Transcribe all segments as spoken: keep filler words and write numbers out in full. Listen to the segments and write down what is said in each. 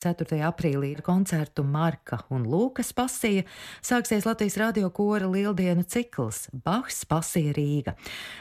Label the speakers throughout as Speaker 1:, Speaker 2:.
Speaker 1: ceturtajā aprīlī ar koncertu Marka un Lūkas pasija sāksies Latvijas radio kora lieldienu cikls Bachs pasija Rīga.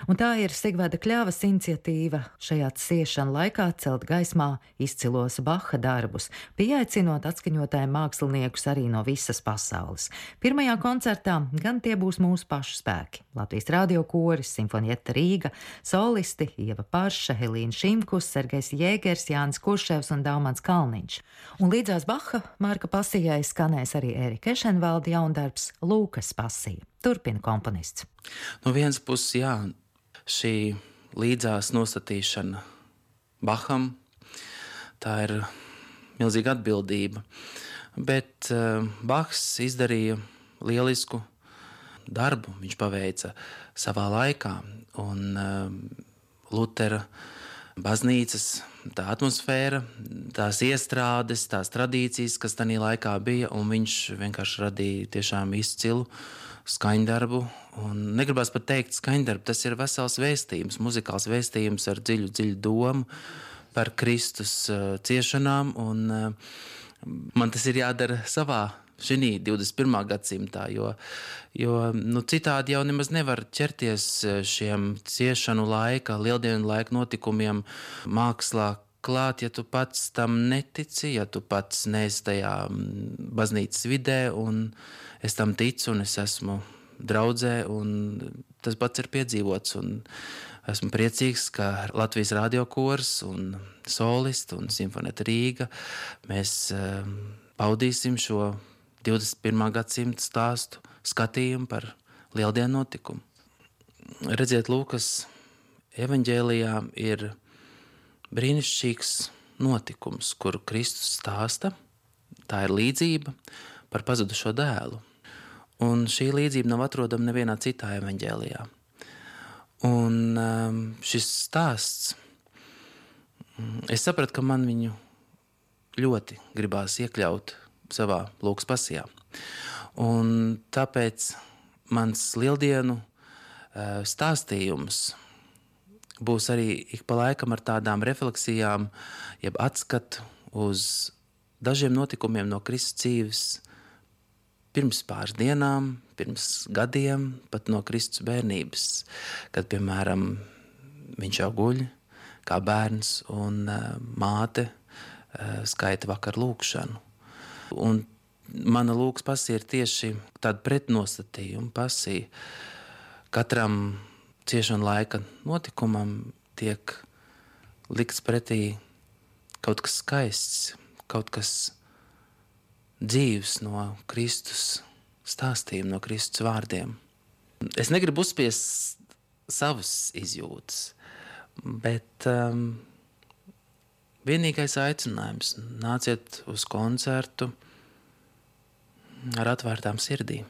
Speaker 1: Un tā ir Sigveda Kļavas iniciatīva šajā ciešana laikā celt gaismā izcilos Baha darbus, pieaicinot atskaņotājiem māksliniekus arī no visas pasaules. Pirmajā koncertā gan tie būs mūsu pašu spēki. Latvijas radio koris, Simfonieta Rīga, solisti Ieva Parša, Helīna Šimkus, Sergejs Jēgers, Jānis Kurševs un Daumans Kalniņš. Un līdzās Baha Marka pasijai skanēs arī Ērika Ešenvalda jaundarbs Lūkas pasija. Turpina komponists.
Speaker 2: No vienas puses, jā, šī līdzās nostatīšana Baham, tā ir milzīga atbildība, bet uh, Bahs izdarīja lielisku darbu, viņš paveica savā laikā, un uh, Lutera baznīcas tā atmosfēra, tās iestrādes, tās tradīcijas, kas tajā laikā bija, un viņš vienkārši radīja tiešām izcilu skaņdarbu, un negribas pat teikt skaņdarbu, tas ir vesels vēstījums, muzikāls vēstījums ar dziļu, dziļu domu par Kristus uh, ciešanām, un uh, man tas ir jādara savā šī divdesmit pirmā gadsimtā, jo, jo nu, citādi jau nemaz nevar ķerties šiem ciešanu laika, lieldienu laika notikumiem mākslā klāt, ja tu pats tam netici, ja tu pats neesi tajā baznīcas vidē, un es tam ticu, un es esmu draudzē, un tas pats ir piedzīvots, un esmu priecīgs, ka Latvijas radio kors un solisti un Simfonieta Rīga mēs um, paudīsim šo divdesmit pirmā gadsimta stāstu skatījumu par lieldienu notikumu. Redziet, Lūkas evaņģēlijā ir brīnišķīgs notikums, kuru Kristus stāsta. Tā ir līdzība par pazudušo dēlu. Un šī līdzība nav atrodama nevienā citā evaņģēlijā. Un um, šis stāsts, es sapratu, ka man viņu ļoti gribās iekļaut savā Lūkas pasijā. Un tāpēc mans lieldienu stāstījums būs arī ik pa laikam ar tādām refleksijām, jeb atskatu uz dažiem notikumiem no Kristus dzīves pirms pāris dienām, pirms gadiem, pat no Kristus bērnības, kad, piemēram, viņš jau guļ kā bērns un māte skaita vakar lūkšanu. Un mana Lūkas pasija ir tieši tāda pretnostatījuma pasija. Katram ciešana laika notikumam tiek likts pretī kaut kas skaists, kaut kas dzīvs no Kristus stāstījuma, no Kristus vārdiem. Es negribu uzspiest savas izjūtas, bet um, vienīgais aicinājums – nāciet uz koncertu ar atvērtām sirdīm.